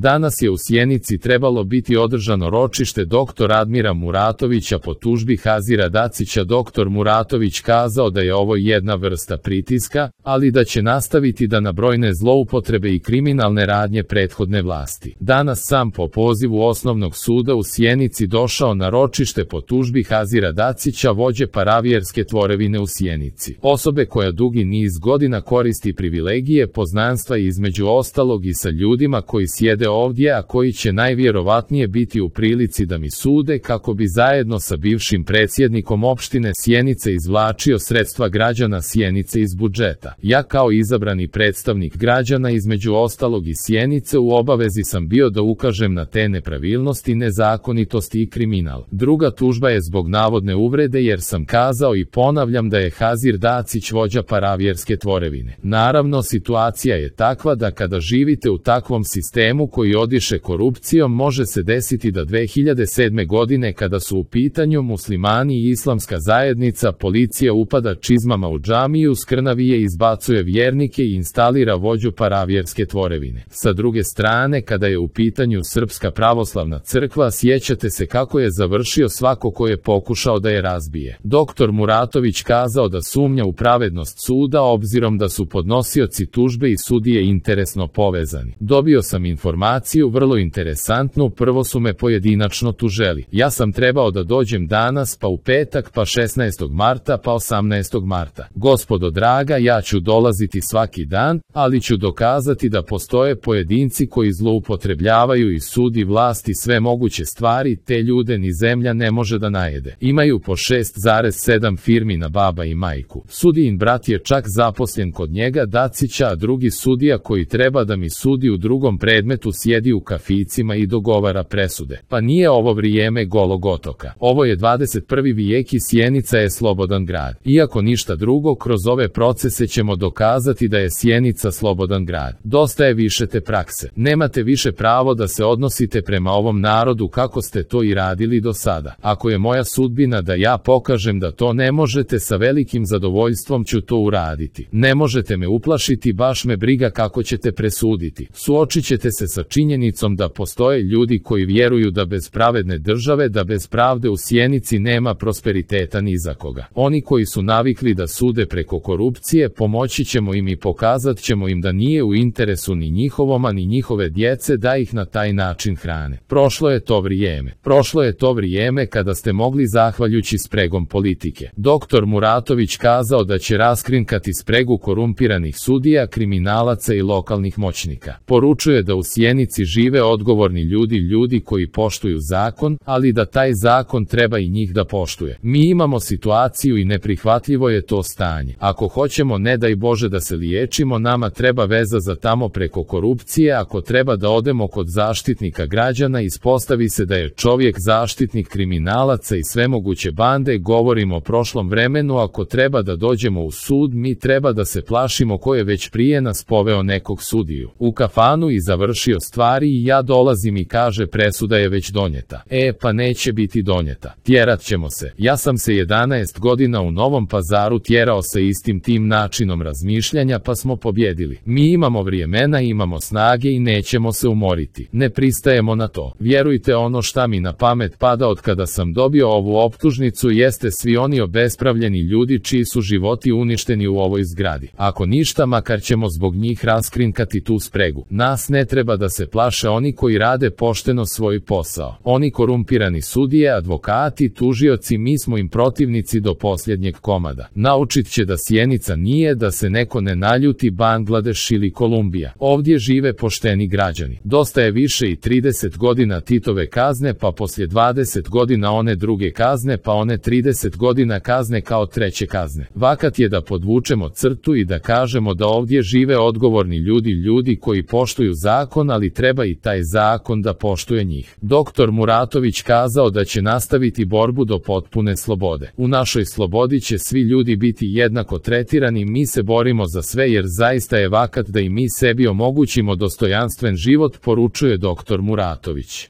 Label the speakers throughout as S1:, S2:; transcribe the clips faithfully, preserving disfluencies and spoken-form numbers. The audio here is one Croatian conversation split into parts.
S1: Danas je u Sjenici trebalo biti održano ročište doktora Admira Muratovića po tužbi Hazira Dacića. Doktor Muratović kazao da je ovo jedna vrsta pritiska, ali da će nastaviti da na brojne zloupotrebe i kriminalne radnje prethodne vlasti. Danas sam po pozivu Osnovnog suda u Sjenici došao na ročište po tužbi Hazira Dacića, vođe paravjerske tvorevine u Sjenici. Osobe koja dugi niz godina koristi privilegije, poznanstva i između ostalog i sa ljudima koji sjede ovdje, a koji će najvjerovatnije biti u prilici da mi sude kako bi zajedno sa bivšim predsjednikom opštine Sjenice izvlačio sredstva građana Sjenice iz budžeta. Ja kao izabrani predstavnik građana između ostalog i Sjenice u obavezi sam bio da ukažem na te nepravilnosti, nezakonitosti i kriminal. Druga tužba je zbog navodne uvrede jer sam kazao i ponavljam da je Hazir Dacić vođa paravjerske tvorevine. Naravno, situacija je takva da kada živite u takvom sistemu koji odiše korupcijom, može se desiti da dve hiljade sedme. godine kada su u pitanju muslimani i islamska zajednica, policija upada čizmama u džamiju, skrnavije, izbacuje vjernike i instalira vođu paravjerske tvorevine. Sa druge strane, kada je u pitanju Srpska pravoslavna crkva, sjećate se kako je završio svako ko je pokušao da je razbije. Doktor Muratović kazao da sumnja u pravednost suda obzirom da su podnosioci tužbe i sudije interesno povezani. Dobio sam informaciju vrlo interesantnu, prvo su me pojedinačno tuželi. Ja sam trebao da dođem danas, pa u petak, pa šesnaestog marta, pa osamnaestog marta. Gospodo draga, ja ću dolaziti svaki dan, ali ću dokazati da postoje pojedinci koji zloupotrebljavaju i sud i vlast i sve moguće stvari, te ljude ni zemlja ne može da najede. Imaju po šest zarez sedam firmi na baba i majku. Sudijin brat je čak zaposlen kod njega Dacića, a drugi sudija koji treba da mi sudi u drugom predmetu sjedi u kaficima i dogovara presude. Pa nije ovo vrijeme Golog otoka. Ovo je dvadeset prvi vijek i Sjenica je slobodan grad. Iako ništa drugo, kroz ove procese ćemo dokazati da je Sjenica slobodan grad. Dosta je više te prakse. Nemate više pravo da se odnosite prema ovom narodu kako ste to i radili do sada. Ako je moja sudbina da ja pokažem da to ne možete, sa velikim zadovoljstvom ću to uraditi. Ne možete me uplašiti, baš me briga kako ćete presuditi. Suočit ćete se sa činjenicom da postoje ljudi koji vjeruju da bez pravedne države, da bez pravde u Sjenici nema prosperiteta ni za koga. Oni koji su navikli da sude preko korupcije, pomoći ćemo im i pokazat ćemo im da nije u interesu ni njihovoma ni njihove djece da ih na taj način hrane. Prošlo je to vrijeme. Prošlo je to vrijeme kada ste mogli zahvaljujući spregom politike. Doktor Muratović kazao da će raskrinkati spregu korumpiranih sudija, kriminalaca i lokalnih moćnika. Poručuje da u Sjenici žive odgovorni ljudi, ljudi koji poštuju zakon, ali da taj zakon treba i njih da poštuje. Mi imamo situaciju i neprihvatljivo je to stanje. Ako hoćemo, ne daj Bože, da se liječimo, nama treba veza za tamo preko korupcije. Ako treba da odemo kod zaštitnika građana, ispostavi se da je čovjek zaštitnik kriminalaca i svemoguće bande. Govorimo o prošlom vremenu. Ako treba da dođemo u sud, mi treba da se plašimo ko je već prije nas poveo nekog sudiju u kafanu i završio stvari i ja dolazim i kaže presuda je već donijeta. E pa neće biti donijeta. Tjerat ćemo se. Ja sam se jedanaest godina u Novom Pazaru tjerao sa istim tim načinom razmišljanja, pa smo pobjedili. Mi imamo vremena, imamo snage i nećemo se umoriti. Ne pristajemo na to. Vjerujte, ono šta mi na pamet pada od kada sam dobio ovu optužnicu jeste svi oni obespravljeni ljudi čiji su životi uništeni u ovoj zgradi. Ako ništa, makar ćemo zbog njih raskrinkati tu spregu. Nas ne treba da se plaše oni koji rade pošteno svoj posao. Oni korumpirani sudije, advokati, tužioci, mi smo im protivnici do posljednjeg komada. Naučit će da Sjenica nije, da se neko ne naljuti, Bangladeš ili Kolumbija. Ovdje žive pošteni građani. Dosta je više i trideset godina Titove kazne, pa poslije dvadeset godina one druge kazne, pa one trideset godina kazne kao treće kazne. Vakat je da podvučemo crtu i da kažemo da ovdje žive odgovorni ljudi, ljudi koji poštuju zakon, ali treba i taj zakon da poštuje njih. Doktor Muratović kazao da će nastaviti borbu do potpune slobode. U našoj slobodi će svi ljudi biti jednako tretirani, mi se borimo za sve jer zaista je vakat da i mi sebi omogućimo dostojanstven život, poručuje doktor Muratović.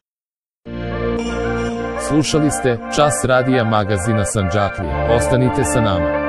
S1: Slušali ste Čas radija magazina Sandžaklija. Ostanite sa nama.